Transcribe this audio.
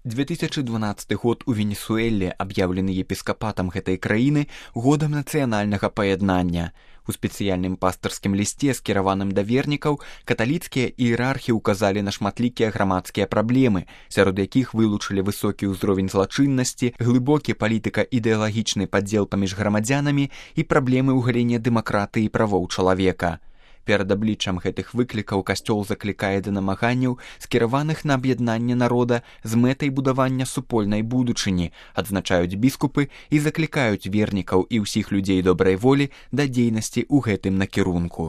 2012 год у Венесуэле аб'яўлены епіскапатам гэтай краіны годам нацыянальнага паяднання. У спецыяльным пастырскім лісце, скіраваным да вернікаў, каталіцкія іерархі ўказалі на шматлікія грамадскія праблемы, сярод якіх вылучылі высокі ўзровень злачыннасці, глыбокі палітыка-ідэалагічны падзел паміж грамадзянамі і праблемы ў галіне дэмакратыі і правоў чалавека. Перад абліччам гэтых выклікаў касцёл заклікае да намаганняў, скіраваных на аб'яднанне народа з мэтай будавання супольнай будучыні, адзначаюць біскупы і заклікаюць вернікаў і ўсіх людзей добрай волі да дзейнасці ў гэтым накірунку.